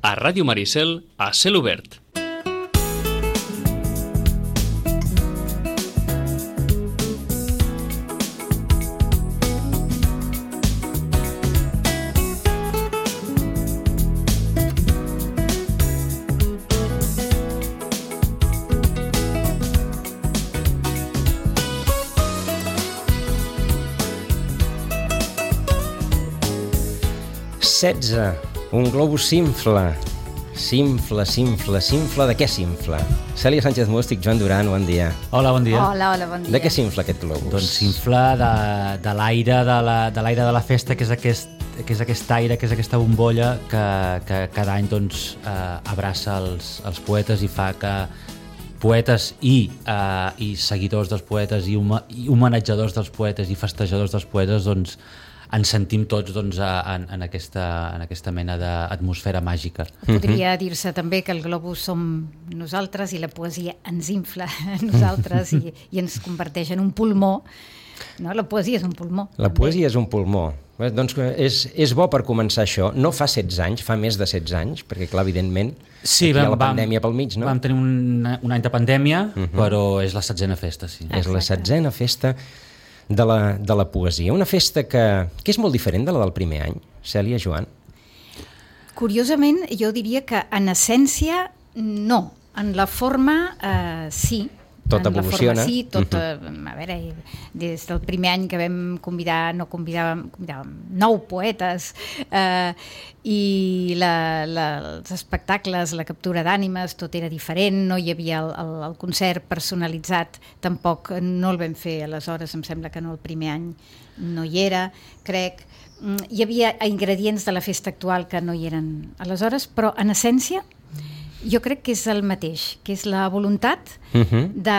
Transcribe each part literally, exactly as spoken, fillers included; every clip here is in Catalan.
A Ràdio Maricel, a cel obert. setze. Un globus s'infla. S'infla, s'infla, s'infla. De què s'infla? Cèlia Sánchez Mústic, Joan Duran, bon dia. Hola, bon dia. Hola, hola, bon dia. De què s'infla aquest globus? Doncs s'infla de, de l'aire de, la, de l'aire de la festa, que és aquest, que és aquest aire, que és aquesta bombolla que, que cada any doncs, eh, abraça els, els poetes i fa que poetes i, eh, i seguidors dels poetes i, huma, i homenatjadors dels poetes i festejadors dels poetes doncs, ens sentim tots doncs, en, en, aquesta, en aquesta mena d'atmosfera màgica. Podria dir-se també que el globus som nosaltres i la poesia ens infla a nosaltres i, i ens converteix en un pulmó. No? La poesia és un pulmó. La també. poesia és un pulmó. Bé, doncs és, és bo per començar això. No fa setze anys, fa més de setze anys, perquè clar, evidentment, sí, aquí vam, hi ha la pandèmia vam, pel mig, no? Vam tenir un, un any de pandèmia, uh-huh. però és la setzena festa, sí. És la setzena festa de la, de la poesia. Una festa que, que és molt diferent de la del primer any. Cèlia, Joan? Curiosament, jo diria que en essència no. En la forma, eh, sí. Tot en evoluciona. La forma, sí, tot, uh-huh. a veure, des del primer any que vam convidar, no convidàvem, convidàvem nou poetes, eh, i la, la, els espectacles, la captura d'ànimes, tot era diferent, no hi havia el, el, el concert personalitzat, tampoc no el vam fer aleshores, em sembla que no el primer any no hi era, crec. Hi havia ingredients de la festa actual que no hi eren aleshores, però en essència jo crec que és el mateix, que és la voluntat uh-huh. de,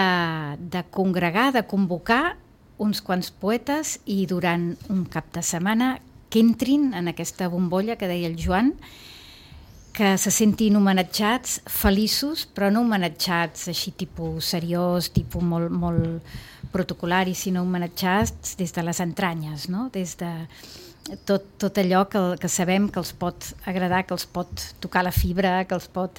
de congregar, de convocar uns quants poetes i durant un cap de setmana que entrin en aquesta bombolla que deia el Joan, que se sentin homenatjats, feliços, però no homenatjats així tipus seriós, tipus molt, molt protocolari, sinó homenatjats des de les entranyes, no? Des de tot, tot allò que, que sabem que els pot agradar, que els pot tocar la fibra, que els pot...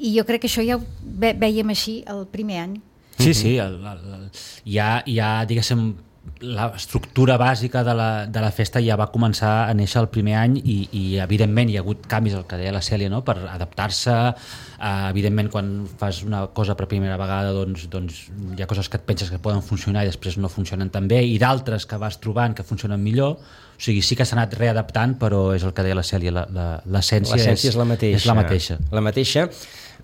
I jo crec que això ja ho ve, vèiem així el primer any. Sí, sí, el, el, el, ja, ja, diguéssim, l'estructura bàsica de la, de la festa ja va començar a néixer el primer any i, i evidentment hi ha hagut canvis, el que deia la Cèlia, no? Per adaptar-se. Uh, evidentment, quan fas una cosa per primera vegada, doncs, doncs hi ha coses que et penses que poden funcionar i després no funcionen tan bé, i d'altres que vas trobant que funcionen millor. O sigui, sí que s'ha anat readaptant, però és el que deia la Cèlia, la, la, l'essència, l'essència és, és la mateixa. És la mateixa. La mateixa.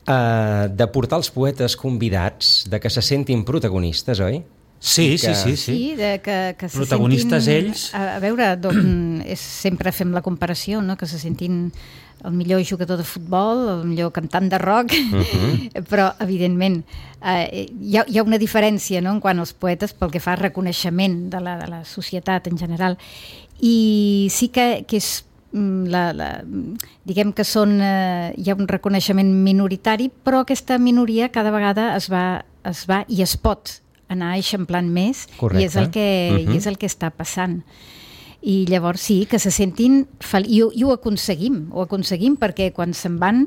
Uh, de portar els poetes convidats, de que se sentin protagonistes, oi? Sí, que... sí, sí, sí. Sí, de que, que se protagonistes sentin, ells. A, a veure, doncs, és, sempre fem la comparació, no? Que se sentin el millor jugador de futbol, el millor cantant de rock, uh-huh. però evidentment eh, hi, ha, hi ha una diferència, no? En quant als poetes pel que fa al reconeixement de la, de la societat en general. I sí que, que és La, la, diguem que són, eh, hi ha un reconeixement minoritari, però aquesta minoria cada vegada es va, es va i es pot anar eixamplant més. Correcte. I és el que, uh-huh. i és el que està passant. I llavors sí, que se sentin fel... I, i ho aconseguim, ho aconseguim perquè quan se'n van,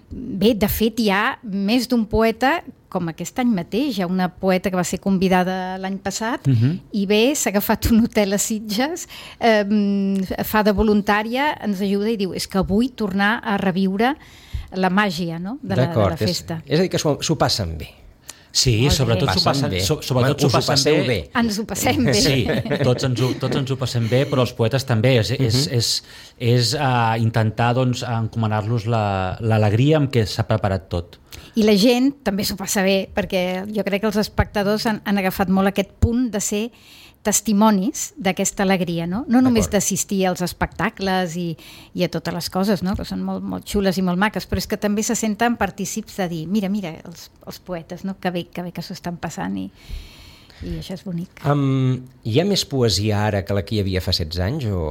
bé, de fet hi ha més d'un poeta, com aquest any mateix, hi ha una poeta que va ser convidada l'any passat uh-huh. i bé, s'ha agafat un hotel a Sitges, eh, fa de voluntària, ens ajuda i diu, és que vull tornar a reviure la màgia, no? de, la, de la festa. És, és a dir, que s'ho, s'ho passen bé. Sí, Molt sobretot s'ho passen bé. So, sobretot s'ho passen bé. bé. Ens ho passem bé. Sí, tots ens ho, tots ens ho passem bé, però els poetes també. És, uh-huh. és, és, és uh, intentar doncs, encomanar-los la, l'alegria amb què s'ha preparat tot. I la gent també s'ho passa bé, perquè jo crec que els espectadors han, han agafat molt aquest punt de ser testimonis d'aquesta alegria, no? No només d'assistir als espectacles i, i a totes les coses, no? Que són molt, molt xules i molt maques, però és que també se senten partícips de dir, mira, mira, els, els poetes, no? Que bé que, bé que s'ho estan passant i, i això és bonic. Um, hi ha més poesia ara que la que hi havia fa setze anys o...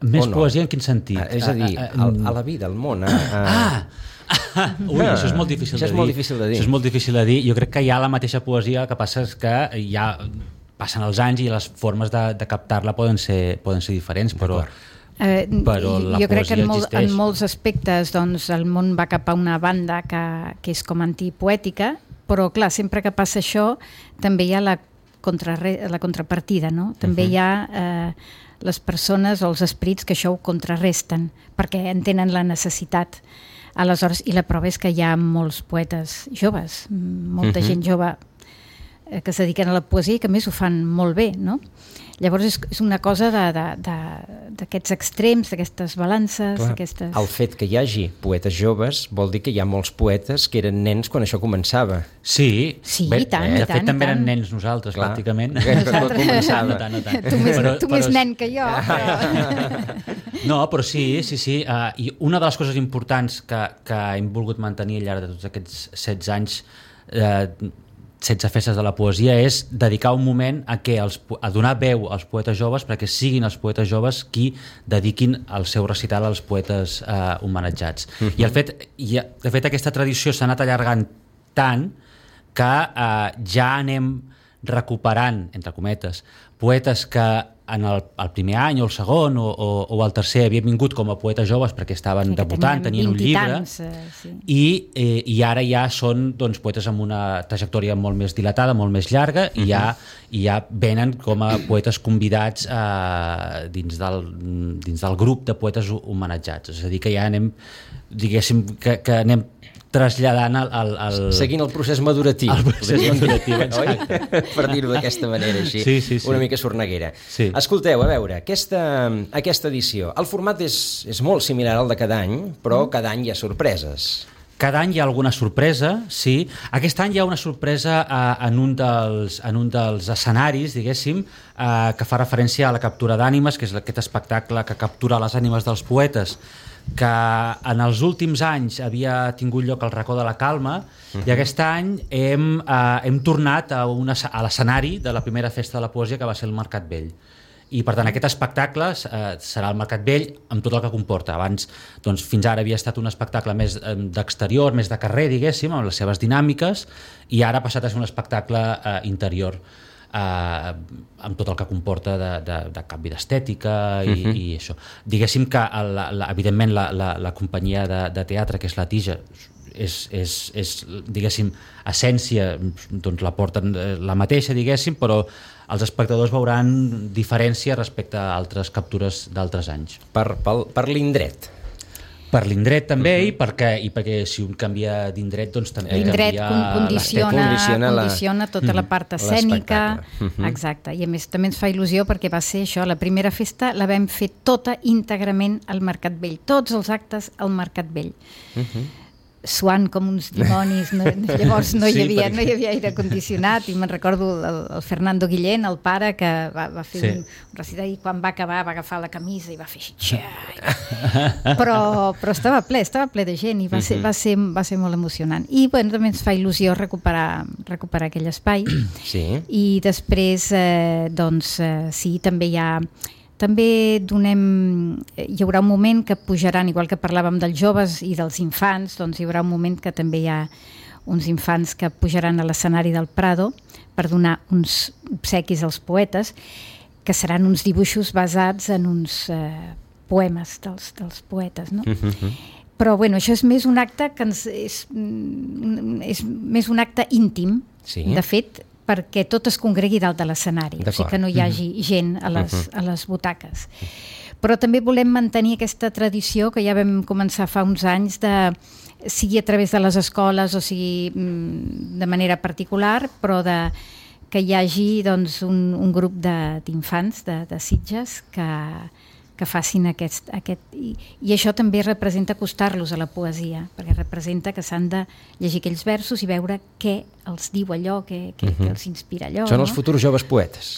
Més o no? Poesia en quin sentit? Ah, és a dir, a, a, a la vida, al món. A, a... Ah! Ui, ah, això és molt difícil això de és dir. molt difícil de dir. Això és molt difícil de dir. Jo crec que hi ha la mateixa poesia, el que passa és que hi ha... passen els anys i les formes de, de captar-la poden ser, poden ser diferents, però, Eh, però la jo crec que en, poesia molt, existeix. en molts aspectes doncs, el món va cap a una banda que, que és com antipoètica, però clar, sempre que passa això també hi ha la, contrarre, la contrapartida, no? També uh-huh. hi ha eh, les persones o els esprits que això ho contrarresten perquè entenen la necessitat. Aleshores, i la prova és que hi ha molts poetes joves, molta uh-huh. gent jove eh, que es dediquen a la poesia i que a més ho fan molt bé, no? Llavors és, és una cosa d'aquests extrems, d'aquestes balances. Aquestes... El fet que hi hagi poetes joves vol dir que hi ha molts poetes que eren nens quan això començava. Sí, sí bé, i tant, eh? i de tant, fet també tant. eren nens nosaltres, Clar. pràcticament. Tot començava. No tant, no tant. Tu més, Però- tu però més és- nen que jo. Però... No, però sí, sí, sí. Uh, I una de les coses importants que, que hem volgut mantenir al llarg de tots aquests setze anys, uh, setze festes de la poesia, és dedicar un moment a, que els, a donar veu als poetes joves perquè siguin els poetes joves qui dediquin el seu recital als poetes uh, homenatjats. Uh-huh. I, el fet, i de fet aquesta tradició s'ha anat allargant tant que uh, ja anem recuperant, entre cometes, poetes que en el, el primer any o el segon o, o, o el tercer havien vingut com a poetes joves perquè estaven Que debutant, tenien un llibre tants, eh, sí. i, eh, i ara ja són doncs, poetes amb una trajectòria molt més dilatada, molt més llarga i ja, i ja venen com a poetes convidats eh, dins, del, dins del grup de poetes homenatjats, és a dir que ja anem diguéssim que, que anem traslladant el, el, el... Seguint el procés maduratiu. El procés maduratiu, exacte. Per dir-ho d'aquesta manera així, Sí, sí, sí. una mica sorneguera. Sí. Escolteu, a veure, aquesta, aquesta edició, el format és, és molt similar al de cada any, però cada any hi ha sorpreses. Cada any hi ha alguna sorpresa, sí. Aquest any hi ha una sorpresa eh, en, un dels, en un dels escenaris, diguéssim, eh, que fa referència a la captura d'ànimes, que és aquest espectacle que captura les ànimes dels poetes, que en els últims anys havia tingut lloc al Racó de la Calma, uh-huh. i aquest any hem, eh, hem tornat a, una, a l'escenari de la primera festa de la poesia, que va ser el Mercat Vell. I per tant aquest espectacle eh, serà el Mercat Vell amb tot el que comporta. Abans, doncs, fins ara havia estat un espectacle més eh, d'exterior, més de carrer, diguéssim, amb les seves dinàmiques, i ara ha passat a ser un espectacle eh, interior, eh, amb tot el que comporta de, de, de canvi d'estètica i, uh-huh. i això. Diguéssim que la, la, evidentment la, la, la companyia de, de teatre, que és la Tija, és, és, és diguéssim, essència, doncs la porten la mateixa, diguéssim, però els espectadors veuran diferència respecte a altres captures d'altres anys. Per, per, per l'indret. Per l'indret també, uh-huh. i, perquè, i perquè si un canvia d'indret, doncs també l'indret canvia... condiciona, condiciona la- condiciona tota la part escènica. l'espectacle. Exacte, i a més també ens fa il·lusió perquè va ser això, la primera festa la vam fer tota íntegrament al Mercat Vell, tots els actes al Mercat Vell. Uh-huh. Suant com uns dimonis, no, llavors no hi Sí, havia, perquè- no hi havia aire condicionat, i me'n recordo el, el Fernando Guillén, el pare, que va, va fer Sí. un, un recital, i quan va acabar va agafar la camisa i va fer així, però, però estava ple, estava ple de gent i va ser, va ser, va ser molt emocionant. I bueno, també ens fa il·lusió recuperar, recuperar aquell espai. Sí. I després, eh, doncs, eh, sí, també hi ha... També donem, hi haurà un moment que pujaran, igual que parlàvem dels joves i dels infants, doncs hi haurà un moment que també hi ha uns infants que pujaran a l'escenari del Prado per donar uns obsequis als poetes, que seran uns dibuixos basats en uns eh, poemes dels, dels poetes, no? Uh-huh. Però bueno, això és més un acte que ens, és, és més un acte íntim, Sí. de fet, perquè tot es congregui dalt de l'escenari, o sigui que no hi hagi gent a les, a les butaques. Però també volem mantenir aquesta tradició que ja vam començar fa uns anys, de, sigui a través de les escoles o sigui de manera particular, però de, que hi hagi doncs, un, un grup d'infants de, de, de Sitges que, que facin aquest... aquest i, I això també representa acostar-los a la poesia, perquè representa que s'han de llegir aquells versos i veure què els diu allò, què, què, uh-huh. què els inspira allò. Són no? els futurs joves poetes.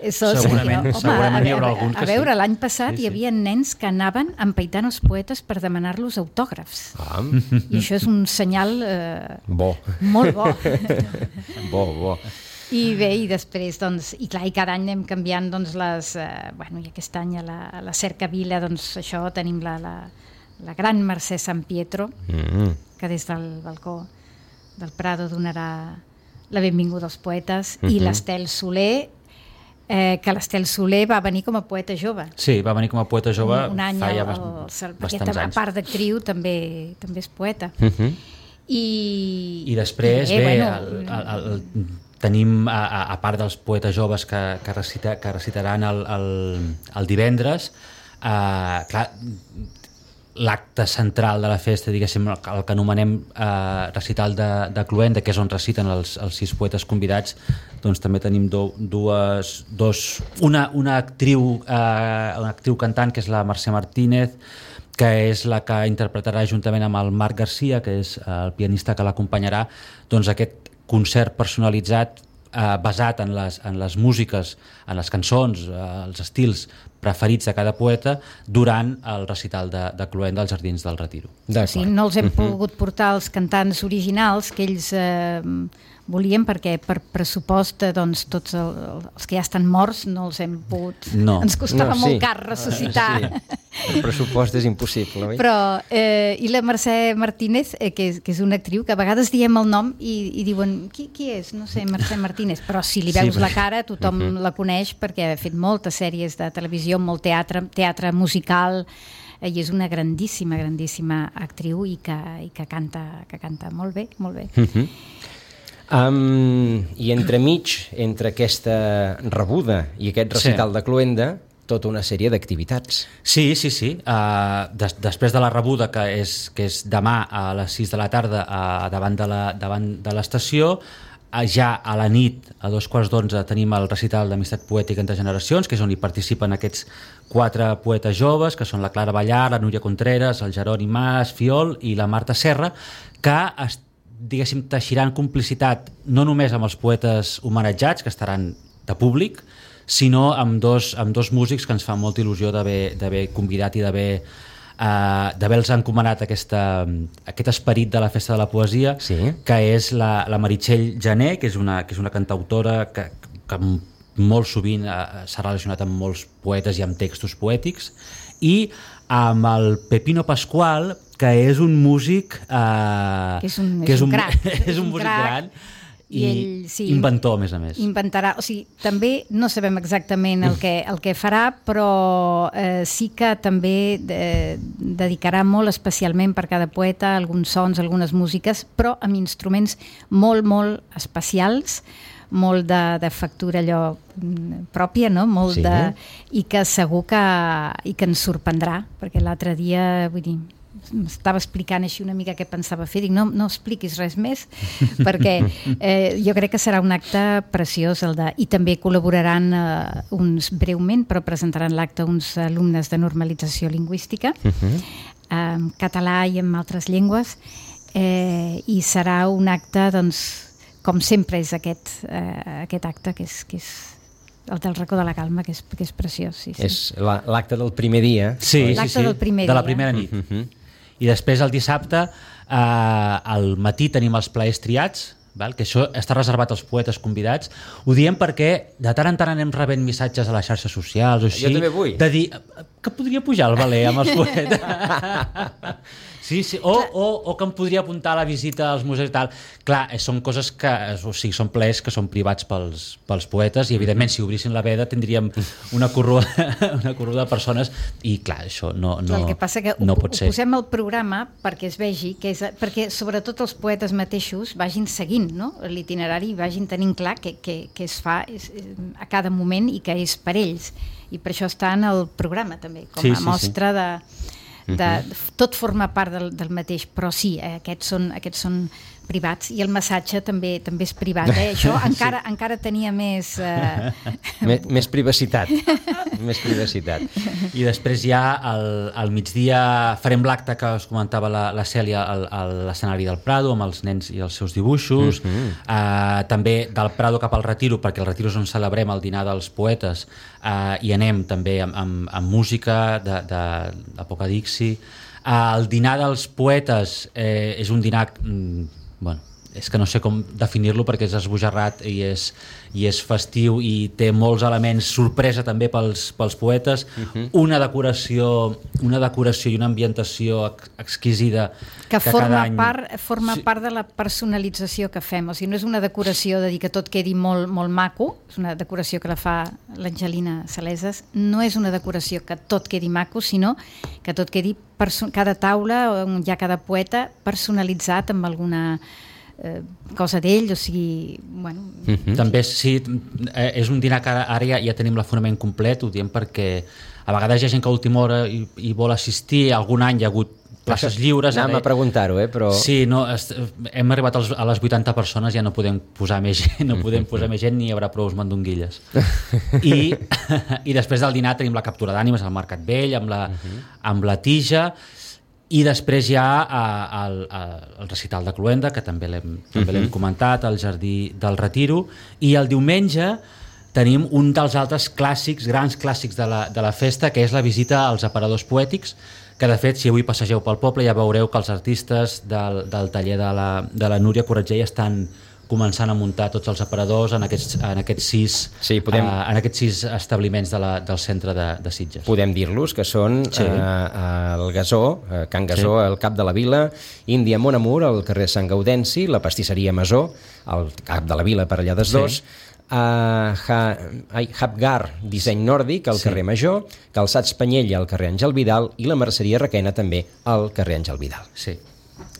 Eso, Segurament, home, segurament a, hi haurà a, alguns que a veure, sí. l'any passat Sí, sí, sí. hi havia nens que anaven empaitant els poetes per demanar-los autògrafs. Ah, I això és un senyal eh, bo. molt bo. Bo, bo. I bé, i després, doncs, i clar, i cada any anem canviant, doncs, les, eh, bueno, i aquest any a la, a la Cercavila, doncs, això, tenim la, la, la gran Mercè San Pietro, Mm. que des del balcó del Prado donarà la benvinguda als poetes, Mhm. i l'Estel Soler, eh, que l'Estel Soler va venir com a poeta jove. Sí, va venir com a poeta jove un, un any fa ja el, el, bastants perquè, a anys. part d'actriu també, també és poeta. Uh-huh. I, I després, i, bé, bueno, el, el, el, tenim, a, a part dels poetes joves que, que, recita, que recitaran el, el, el divendres, eh, clar, l'acte central de la festa, diguéssim, el, el que anomenem eh, recital de, de Cluenda, que és on reciten els, els sis poetes convidats, doncs també tenim do, dues, dos, una, una actriu, eh, una actriu cantant, que és la Mercè Martínez, que és la que interpretarà juntament amb el Marc Garcia, que és el pianista que l'acompanyarà, doncs aquest concert personalitzat eh, basat en les, en les músiques, en les cançons, eh, els estils preferits de cada poeta durant el recital de, de Cluenda als Jardins del Retiro. Sí, no els hem pogut portar els cantants originals que ells eh, volien, perquè per pressupost doncs, tots el, els que ja estan morts no els hem pogut... No. Ens costava No, sí. molt car ressuscitar. Sí. El pressupost és impossible, oi? Però, eh, i la Mercè Martínez, eh, que, és, que és una actriu, que a vegades diem el nom i, i diuen, qui, qui és? No sé, Mercè Martínez. Però si li veus Sí, la perquè- cara, tothom la coneix perquè ha fet moltes sèries de televisió, molt teatre, teatre musical, eh, i és una grandíssima, grandíssima actriu i que, i que, canta, que canta molt bé, molt bé. Uh-huh. Um, I entremig, entre aquesta rebuda i aquest recital Sí. de Cluenda, tota una sèrie d'activitats. Sí, sí, sí. Uh, des, després de la rebuda, que és, que és demà a les sis de la tarda uh, davant de la- davant de l'estació, uh, ja a la nit, a dos quarts d'onze, tenim el recital d'Amistat Poètica entre Generacions, que és on hi participen aquests quatre poetes joves, que són la Clara Ballar, la Núria Contreras, el Jeroni Mas Fiol i la Marta Serra, que es, diguéssim, teixiran complicitat no només amb els poetes homenatjats, que estaran de públic, sinó amb dos, amb dos músics que ens fa molta il·lusió d'haver d'haver convidat i d'haver uh, d'haver-los encomanat aquesta, aquest esperit de la Festa de la Poesia, Sí. que és la, la Meritxell Jané, que és una, que és una cantautora que, que molt sovint uh, s'ha relacionat amb molts poetes i amb textos poètics, i amb el Pepino Pascual, que és un músic uh, Que és un- és un crac. és un músic crac. gran i, I ell, sí, inventor, a més a més. Inventarà, o sigui, també no sabem exactament el que, el que farà, però eh, sí que també eh, dedicarà molt especialment per cada poeta alguns sons, algunes músiques, però amb instruments molt, molt especials, molt de, de factura allò mm, pròpia, no? Molt Sí. de, i que segur que, i que ens sorprendrà, perquè l'altre dia, vull dir, m'estava explicant així una mica què pensava fer, dic, no, no expliquis res més, perquè eh, jo crec que serà un acte preciós el de, i també col·laboraran eh, uns, breument, però presentaran l'acte uns alumnes de normalització lingüística, Uh-huh. en català i en altres llengües, eh, i serà un acte, doncs, com sempre és aquest, eh, aquest acte, que és, que és el del racó de la calma, que és, que és preciós. Sí, sí. És la- l'acte del primer dia. Sí, sí, L'acte sí, del primer de la dia. primera nit. Uh-huh. I després el dissabte, eh, al matí tenim els plaers triats, val? Que això està reservat als poetes convidats. Ho diem perquè de tant en tant anem rebent missatges a les xarxes socials o així, Jo també vull. de dir que podria pujar al Valer amb els poetes. Sí, sí. O, o, o que em podria apuntar a la visita als museus i tal. Clar, eh, són coses que, o sigui, són plaers que són privats pels, pels poetes i, evidentment, si obrissin la veda tindríem una corrua, una corrua de persones i, clar, això no, no, El que passa que no ho, pot ho ser. posem al programa perquè es vegi, que és, perquè sobretot els poetes mateixos vagin seguint, no? L'itinerari i vagin tenint clar que, que, que es fa és, a cada moment i que és per ells. I per això està en el programa també, com Sí, a sí, mostra de... De, tot forma part del, del mateix, però sí, eh, aquests, són, aquests són privats i el massatge també també és privat, eh? Això encara, sí. encara tenia més... Eh... Més, més privacitat. Més privacitat. I després ja al, al migdia farem l'acte que us comentava la, la Cèlia al, a l'escenari del Prado amb els nens i els seus dibuixos. Uh-huh. uh, també del Prado cap al Retiro, perquè el Retiro és on celebrem el dinar dels poetes, uh, i anem també amb, amb, amb música de, de, d'Apocadixi. Uh, el dinar dels poetes eh, és un dinar... Mm, bueno, és que no sé com definir-lo perquè és esbojarrat i és, i és festiu i té molts elements sorpresa també pels, pels poetes, uh-huh. una decoració una decoració i una ambientació ex exquisida que, que forma, any... part, forma sí. part de la personalització que fem, o sigui, no és una decoració de dir que tot quedi molt, molt maco, és una decoració que la fa l'Angelina Saleses, no és una decoració que tot quedi maco, sinó que tot quedi cada taula on hi ha cada poeta personalitzat amb alguna eh, cosa d'ell, o sigui, bueno... Mm-hmm. També sí, és un dinar que ara ja, ja tenim l'aforament complet, ho diem perquè a vegades hi ha gent que a última hora hi, hi vol assistir, algun any hi ha hagut places lliures. Anem a preguntar-ho, eh? Però... Sí, no, hem arribat als, a les vuitanta persones, ja no podem posar més gent, no podem posar més gent ni hi haurà prou mandonguilles. I, I després del dinar tenim la captura d'ànimes al Mercat Vell, amb la, uh-huh. amb la tija, i després hi ha a, a, a, el recital de Cluenda, que també l'hem uh-huh. comentat, al Jardí del Retiro, i el diumenge tenim un dels altres clàssics, grans clàssics de la, de la festa, que és la visita als aparadors poètics, que de fet, si avui passegeu pel poble ja veureu que els artistes del, del taller de la, de la Núria Corretger estan començant a muntar tots els aparadors en aquests, en aquests, sis, sí, podem... uh, en aquests sis establiments de la, del centre de, de Sitges. Podem dir-los que són sí. uh, el Gasó, uh, Can Gasó, sí. al cap de la vila, Índia Mon Amour, al carrer Sant Gaudenci, la pastisseria Masó, al cap de la vila per allà des dos, sí. Uh, ha, ai, Hapgar, disseny nòrdic al sí. carrer Major, Calçats Panyella al carrer Àngel Vidal i la Merceria Requena també al carrer Àngel Vidal. Sí,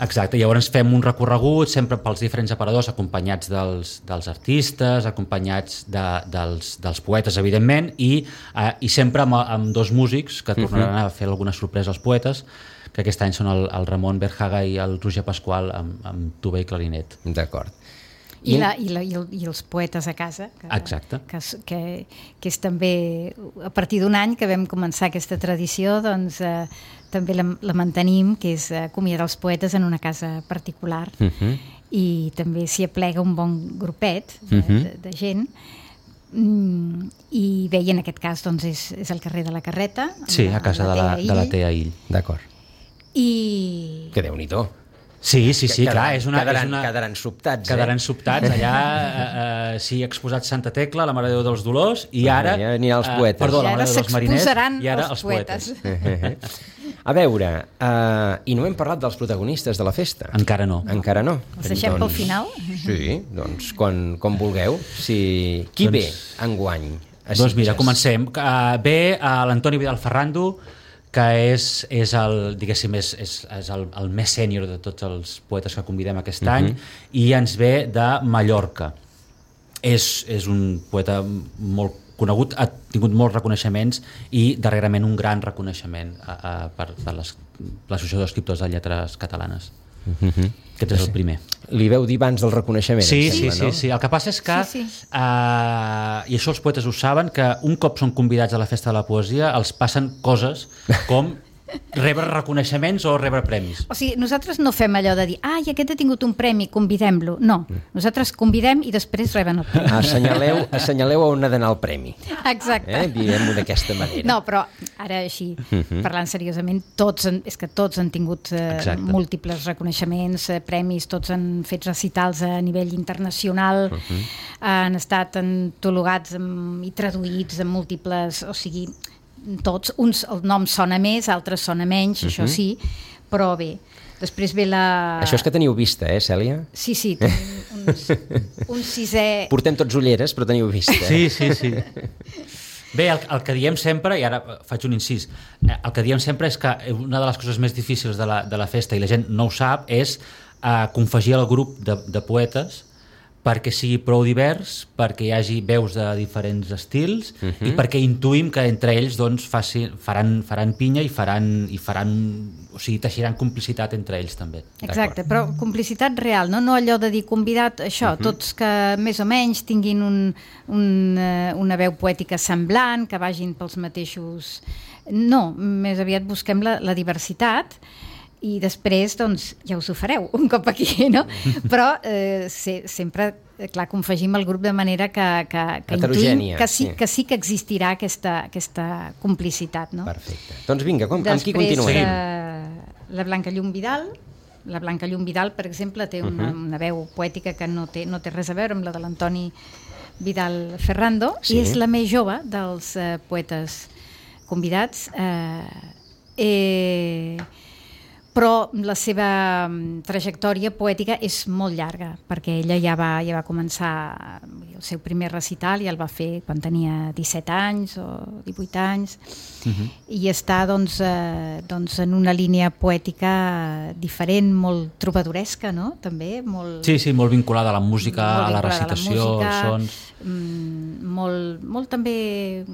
exacte. Llavors fem un recorregut sempre pels diferents aparadors acompanyats dels, dels artistes, acompanyats de, dels, dels poetes, evidentment, i, uh, i sempre amb, amb dos músics que tornaran uh-huh. a fer alguna sorpresa als poetes, que aquest any són el, el Ramon Berjaga i el Roger Pasqual amb, amb tuba i clarinet. D'acord. I, la, i, la, i, el, i els poetes a casa, que, Exacte. que, que, que és també a partir d'un any que vam començar aquesta tradició, doncs eh, també la, la mantenim, que és acomiadar els poetes en una casa particular uh-huh. i també s'hi aplega un bon grupet de, uh-huh. de, de gent. Mm, i bé, i en aquest cas doncs, és, és el carrer de la Carreta, sí, a casa de la, de la Tea Ill. D'acord. I... Que Déu-n'hi-do. Sí, sí, sí, quedaran, clar, és una, quedaran, és una... quedaran sobtats, quedaran eh? sobtats, allà eh, eh, s'hi ha exposat Santa Tecla, la Mare de Déu dels Dolors, i ara... Ja anirà els poetes. Eh, perdó, I la Mare de Déu dels Mariners, i ara els, els poetes. poetes. A veure, uh, i no hem parlat dels protagonistes de la festa. Encara no. Encara no. Els deixem doncs, pel final? Sí, doncs quan, quan vulgueu. Si... Qui doncs, ve enguany a Sitges? Doncs mira, comencem. Uh, ve uh, l'Antoni Vidal Ferrando, que és, és, el, diguéssim, és, és, és el, el més sènior de tots els poetes que convidem aquest uh-huh. any, i ens ve de Mallorca. És, és un poeta molt conegut, ha tingut molts reconeixements i darrerament un gran reconeixement a, a, per, per l'Associació d'Escriptors de Lletres Catalanes. Uh-huh. Aquest és el primer. Li veu dir abans del reconeixement? Sí, sí, sembla, sí, no? sí. El que passa és que, sí, sí. Uh, i això els poetes ho saben, que un cop són convidats a la Festa de la Poesia els passen coses com rebre reconeixements o rebre premis. O sigui, nosaltres no fem allò de dir ai, aquest ha tingut un premi, convidem-lo. No, nosaltres convidem i després reben el premi. Assenyaleu, assenyaleu on ha d'anar el premi. Exacte. Eh? Diguem-ho d'aquesta manera. No, però ara així, uh-huh. parlant seriosament, tots han, és que tots han tingut eh, múltiples reconeixements, eh, premis, tots han fet recitals a nivell internacional, uh-huh. han estat antologats amb, i traduïts en múltiples, o sigui, tots, uns el nom sona més, altres sona menys, uh-huh. això sí, però bé, després ve la... Això és que teniu vista, eh, Cèlia? Sí, sí, uns, un sisè... Portem tots ulleres, però teniu vista. Sí, sí, sí. Bé, el, el que diem sempre, i ara faig un incís, el que diem sempre és que una de les coses més difícils de la, de la festa, i la gent no ho sap, és uh, confegir el grup de, de poetes perquè sigui prou divers, perquè hi hagi veus de diferents estils uh-huh. i perquè intuïm que entre ells doncs, faci, faran, faran pinya i faran, i faran, o sigui, teixiran complicitat entre ells també. Exacte, però complicitat real, no, no allò de dir convidat, això, uh-huh. tots que més o menys tinguin un, un, una veu poètica semblant, que vagin pels mateixos... No, més aviat busquem la, la diversitat i després, doncs, ja us ho fareu un cop aquí, no? Però eh, se, sempre, clar, confegim el grup de manera que, que, que intuïm que sí, sí. que sí que existirà aquesta, aquesta complicitat, no? Perfecte. Doncs vinga, com, després, amb qui continuem? Eh, la Blanca Llum Vidal, la Blanca Llum Vidal, per exemple, té una, uh-huh. una veu poètica que no té, no té res a veure amb la de l'Antoni Vidal Ferrando, sí. i és la més jove dels eh, poetes convidats, eh, eh, però la seva trajectòria poètica és molt llarga, perquè ella ja va, ja va començar el seu primer recital, ja el va fer quan tenia disset anys o divuit anys, uh-huh. i està doncs, eh, doncs en una línia poètica diferent, molt trobadoresca, no? També, molt... Sí, sí, molt vinculada a la música, a la recitació, a la música, als sons... Mm, molt, molt també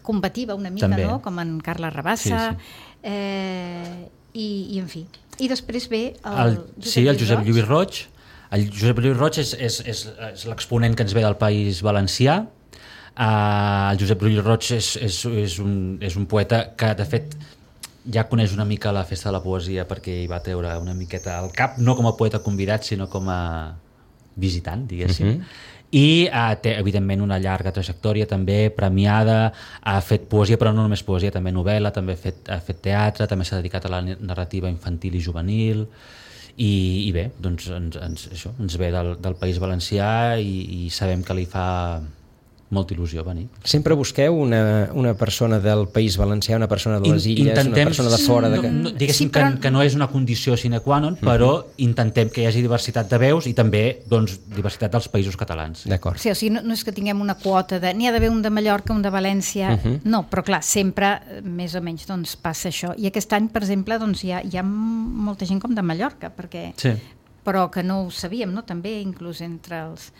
combativa una mica, també. No? Com en Carles Rabassa, sí, sí. Eh, i, i en fi. I després ve el, el Josep Sí, el Josep Lluís Lluís Roig. El Josep Lluís Roig és, és, és, és l'exponent que ens ve del País Valencià. Uh, el Josep Lluís Roig és, és, és, un, és un poeta que, de fet, ja coneix una mica la Festa de la Poesia perquè hi va treure una miqueta al cap, no com a poeta convidat, sinó com a visitant, diguéssim. Uh-huh. I uh, té, evidentment, una llarga trajectòria també premiada, ha fet poesia, però no només poesia, també novel·la, també ha fet, ha fet teatre, també s'ha dedicat a la narrativa infantil i juvenil, i, i bé, doncs ens, ens, això, ens ve del, del País Valencià i, i sabem que li fa molta il·lusió venir. Sempre busqueu una, una persona del País Valencià, una persona de les Illes, intentem, una persona de fora... De... No, no, diguéssim sí, però... que, que no és una condició sine qua non, però uh-huh. intentem que hi hagi diversitat de veus i també doncs, diversitat dels països catalans. D'acord. Sí, o sigui, no, no és que tinguem una quota de... N'hi ha d'haver un de Mallorca, un de València... Uh-huh. No, però clar, sempre més o menys doncs, passa això. I aquest any, per exemple, doncs, hi, ha, hi ha molta gent com de Mallorca, perquè... Sí. Però que no ho sabíem, no? També, inclús entre els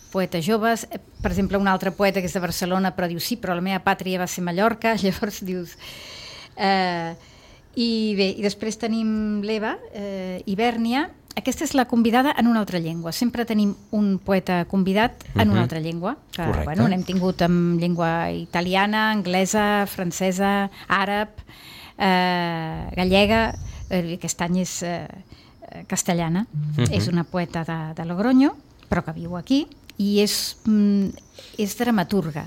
poetes joves, per exemple, un altre poeta que és de Barcelona, però diu, sí, però la meva pàtria va ser Mallorca, llavors dius... Eh, I bé, i després tenim l'Eva, eh, Hibèrnia, aquesta és la convidada en una altra llengua, sempre tenim un poeta convidat en uh-huh. una altra llengua, que bueno, n'hem tingut en llengua italiana, anglesa, francesa, àrab, eh, gallega, eh, aquest any és eh, castellana, uh-huh. és una poeta de, de Logroño, però que viu aquí, i és, és dramaturga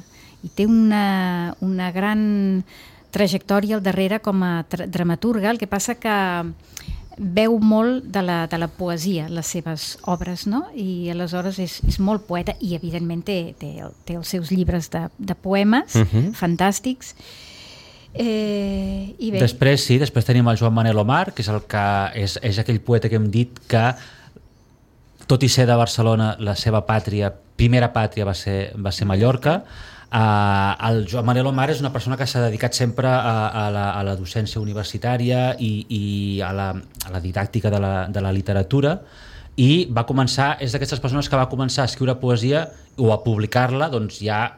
i té una, una gran trajectòria al darrere com a tra- dramaturga, el que passa que veu molt de la, de la poesia, les seves obres, no? I aleshores és, és molt poeta i evidentment té, té, té els seus llibres de, de poemes uh-huh. fantàstics. Eh, i bé. Després sí, després tenim el Joan Manel Omar, que és, el que és, és aquell poeta que hem dit que tot i ser de Barcelona, la seva pàtria, primera pàtria va ser, va ser Mallorca. Uh, el Joan Manel Omar és una persona que s'ha dedicat sempre a, a, la, a la docència universitària i, i a, la, a la didàctica de la, de la literatura, i va començar, és d'aquestes persones que va començar a escriure poesia o a publicar-la doncs, ja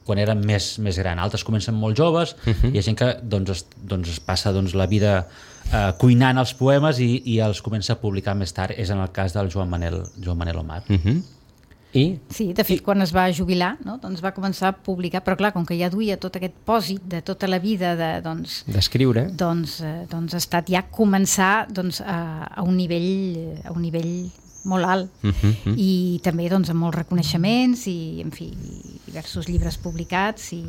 quan eren més, més gran. Altres comencen molt joves, uh-huh. hi ha gent que doncs, es, doncs, es passa doncs, la vida Uh, cuinant els poemes i, i els comença a publicar més tard. És en el cas del Joan Manel, Joan Manel Omar. Uh-huh. I? Sí, de fet, I... quan es va jubilar, no? doncs va començar a publicar, però clar, com que ja duia tot aquest pòsit de tota la vida de, doncs, d'escriure, doncs, eh, doncs ha estat ja començar doncs, a, a un nivell a un nivell molt alt, uh-huh. i també doncs, amb molts reconeixements i, en fi, diversos llibres publicats, i,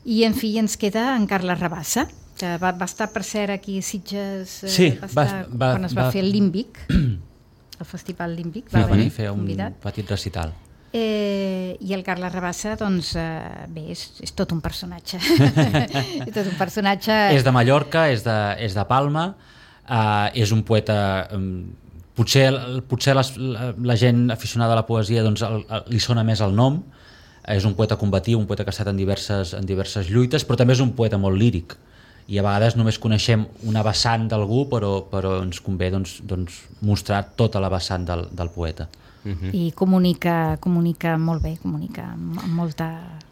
i en fi, ens queda en Carles Rabassa, que va, va estar, per cert, aquí a Sitges, eh, sí, va estar, va, va, quan es va, va fer el Límbic, el Festival Límbic, va, va venir a fer un convidat. petit recital. Eh, I el Carles Rabassa, doncs, eh, bé, és, és tot un personatge. és tot un personatge... És de Mallorca, és de, és de Palma, eh, és un poeta... Um, potser potser les, la, la gent aficionada a la poesia doncs, el, el, li sona més el nom. És un poeta combatiu, un poeta que ha estat en diverses, en diverses lluites, però també és un poeta molt líric. I a vegades només coneixem una vessant d'algú, però, però ens convé doncs, doncs, mostrar tota la vessant del, del poeta. Uh-huh. I comunica, comunica molt bé, comunica amb molta,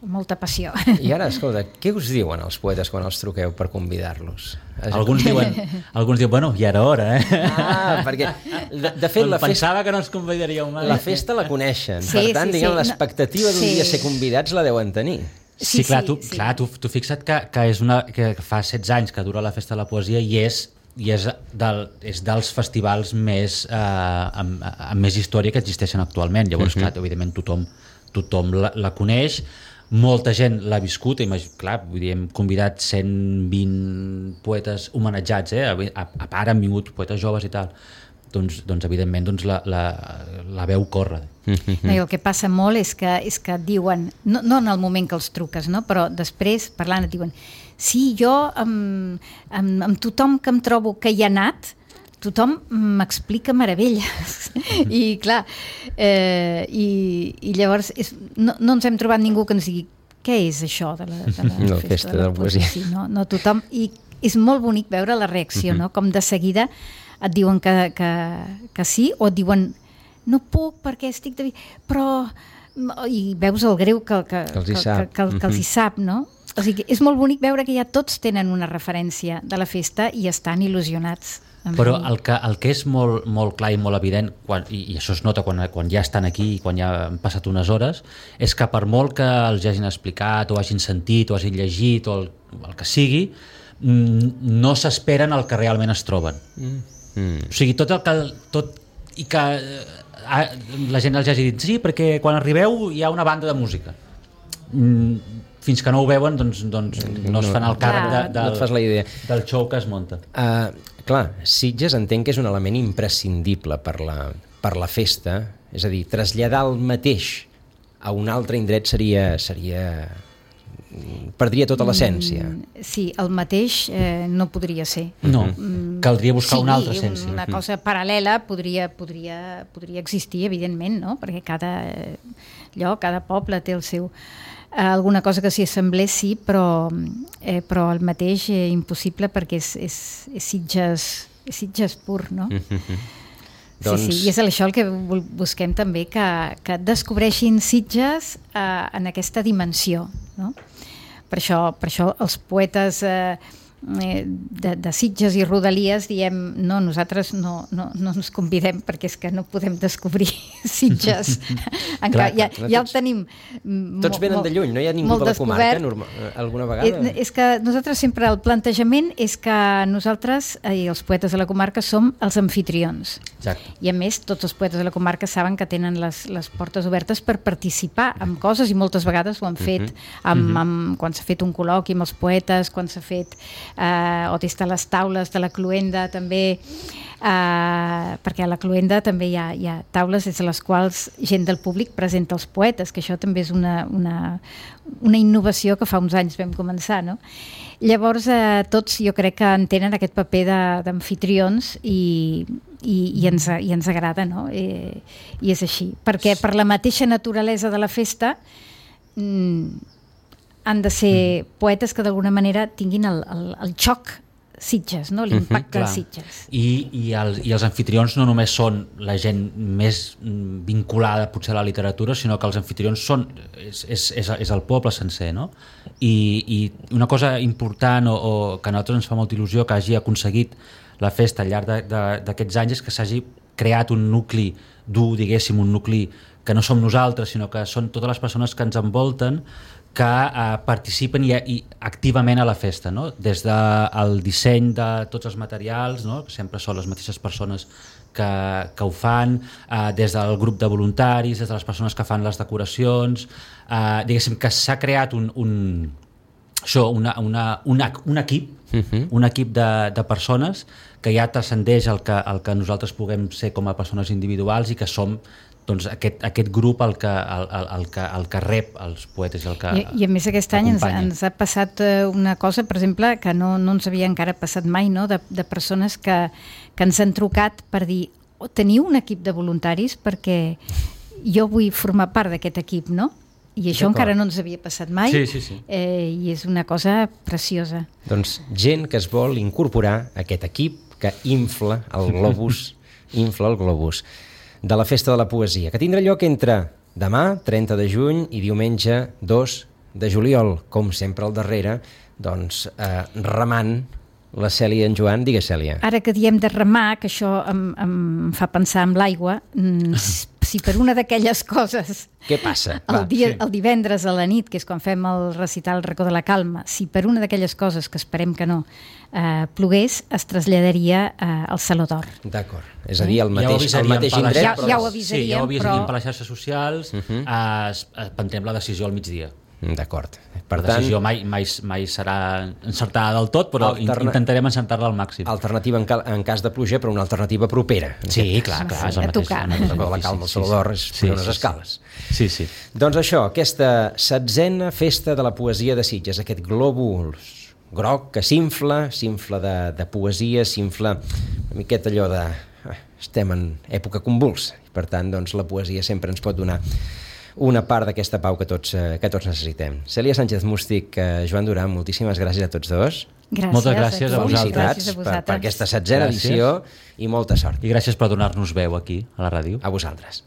molta passió. I ara, escolta, què us diuen els poetes quan els truqueu per convidar-los? Alguns diuen, alguns diuen, bueno, ja era hora, eh? Ah, perquè, de, de fet, la festa... Pensava que no ens convidaríeu mai. La festa la coneixen, sí, per tant, sí, diguem, sí. l'expectativa d'un sí. dia ser convidats la deuen tenir. Sí, sí, clar, tu, sí. clar tu, tu fixa't que, que, és una, que fa setze anys que dura la Festa de la Poesia i és, i és, del, és dels festivals més, eh, amb, amb més història que existeixen actualment. Llavors, uh-huh. clar, evidentment tothom, tothom la, la coneix, molta gent l'ha viscut, imag... clar, vull dir, hem convidat cent vint poetes homenatjats, eh? a, a part han vingut poetes joves i tal. doncs, doncs evidentment doncs la, la, la veu corre. No, i el que passa molt és que, és que et diuen, no, no en el moment que els truques, no? Però després, parlant, et diuen sí, jo amb, amb, amb tothom que em trobo que hi ha anat, tothom m'explica meravelles. I clar, eh, i, i llavors és, no, no ens hem trobat ningú que ens digui què és això de la, de la no, festa, festa de la, de la poesia. Sí, no, no tothom, i és molt bonic veure la reacció, no? Com de seguida et diuen que, que, que sí, o et diuen no puc perquè estic de... però i veus el greu que, que, que, els, hi que, que, que, que els hi sap, no? O sigui, és molt bonic veure que ja tots tenen una referència de la festa i estan il·lusionats. Però el que, el que és molt, molt clar i molt evident, quan, i, i això es nota quan, quan ja estan aquí i quan ja han passat unes hores, és que per molt que els hagin explicat o hagin sentit o hagin llegit o el, el que sigui, no s'esperen el que realment es troben. Mm. Mm. O sigui, tot el que... Tot, i que eh, la gent els hagi dit sí, perquè quan arribeu hi ha una banda de música. Mm, fins que no ho veuen doncs, doncs no es fan el càrrec de, de, no et fas la idea. del show que es munta. Uh, clar, Sitges entenc que és un element imprescindible per la, per la festa, és a dir, traslladar el mateix a un altre indret seria, seria perdria tota l'essència. Mm, sí, el mateix eh, no podria ser. No, caldria buscar sí, una altra essència. Una cosa paral·lela podria, podria, podria existir, evidentment, no? Perquè cada lloc, cada poble té el seu... Alguna cosa que s'hi assemblés, sí, però, eh, però el mateix eh, impossible perquè és, és, és, Sitges, és Sitges pur, no? Mm-hmm. Sí, doncs... sí, i és això el que busquem també, que, que descobreixin Sitges eh, en aquesta dimensió, no? Per això, per això els poetes eh, de, de Sitges i Rodalies diem no, nosaltres no, no, no ens convidem perquè és que no podem descobrir Sitges. Encara, clar, ja, clar, ja el tenim tots venen de lluny, no hi ha ningú de la comarca normal, alguna vegada? És que nosaltres sempre el plantejament és que nosaltres i els poetes de la comarca som els amfitrions. Exacte. I a més tots els poetes de la comarca saben que tenen les, les portes obertes per participar en coses i moltes vegades ho han fet uh-huh. amb, amb, quan s'ha fet un col·loqui amb els poetes, quan s'ha fet Uh, o des de les taules de la Cluenda també, uh, perquè a la Cluenda també hi ha, hi ha taules des de les quals gent del públic presenta els poetes, que això també és una, una, una innovació que fa uns anys vam començar, no? Llavors uh, tots jo crec que entenen aquest paper d'amfitrions i, i, i, ens, i ens agrada, no? I, i és així, perquè per la mateixa naturalesa de la festa mm, han de ser poetes que d'alguna manera tinguin el, el, el xoc Sitges, no? L'impacte uh-huh, de Sitges. I, i, el, I els anfitrions no només són la gent més vinculada potser a la literatura, sinó que els anfitrions són, és, és, és, és el poble sencer, no? I, i una cosa important o, o que a nosaltres ens fa molta il·lusió que hagi aconseguit la festa al llarg d'aquests anys és que s'hagi creat un nucli dur, diguéssim, un nucli que no som nosaltres, sinó que són totes les persones que ens envolten que eh, participen i, i activament a la festa, no? Des del disseny de tots els materials, no? Que sempre són les mateixes persones que, que ho fan, eh, des del grup de voluntaris, des de les persones que fan les decoracions, eh, diguéssim que s'ha creat un, un, això, una, una, una, un equip, uh-huh. un equip de, de persones que ja transcendeix el que, el que nosaltres puguem ser com a persones individuals i que som doncs aquest, aquest grup el que, el, el, el, que, el que rep els poetes i el que I, i a més aquest any ens, ens ha passat una cosa, per exemple, que no, no ens havia encara passat mai, no? de, de persones que, que ens han trucat per dir oh, teniu un equip de voluntaris perquè jo vull formar part d'aquest equip, no? I això encara no ens havia passat mai. Sí, sí, sí. Eh, i és una cosa preciosa. Doncs gent que es vol incorporar a aquest equip que infla el globus, infla el globus de la Festa de la Poesia, que tindrà lloc entre demà, trenta de juny, i diumenge, dos de juliol, com sempre al darrere, doncs, eh, remant la Cèlia i en Joan. Digues, Cèlia. Ara que diem de remar, que això em, em fa pensar en l'aigua, si per una d'aquelles coses... Què passa? El, Va, dia, sí. el divendres a la nit, que és quan fem el recital El racó de la calma, si per una d'aquelles coses, que esperem que no, eh, plogués, es traslladaria eh, al Saló d'Or. D'acord. És a dir, el mateix, ja el mateix indret... Ja, ja ho avisaríem, sí, ja ho avisaríem però... per les xarxes socials, uh-huh. eh, prendrem la decisió al migdia. D'acord. Per La tant, decisió mai, mai, mai serà encertada del tot, però Alterna- intentarem encertar-la al màxim. alternativa en, cal, en cas de pluja, però una alternativa propera. Sí, clar, clar. És el A mateix, tocar. el mateix. La Sí, calma sí, al sí, Salvador és sí, fer unes sí, sí. escales. Sí, sí. Doncs això, aquesta setzena festa de la poesia de Sitges, aquest globus groc que s'infla, s'infla de, de poesia, s'infla una miqueta allò de... eh, estem en època convulsa, i per tant, doncs, la poesia sempre ens pot donar una part d'aquesta pau que tots, eh, que tots necessitem. Cèlia Sánchez Mústic, eh, Joan Duran, moltíssimes gràcies a tots dos. Gràcies. Moltes gràcies a vosaltres. Felicitats Gràcies a per, per vosaltres. aquesta setzena Gràcies. edició i molta sort. I gràcies per donar-nos veu aquí, a la ràdio. A vosaltres.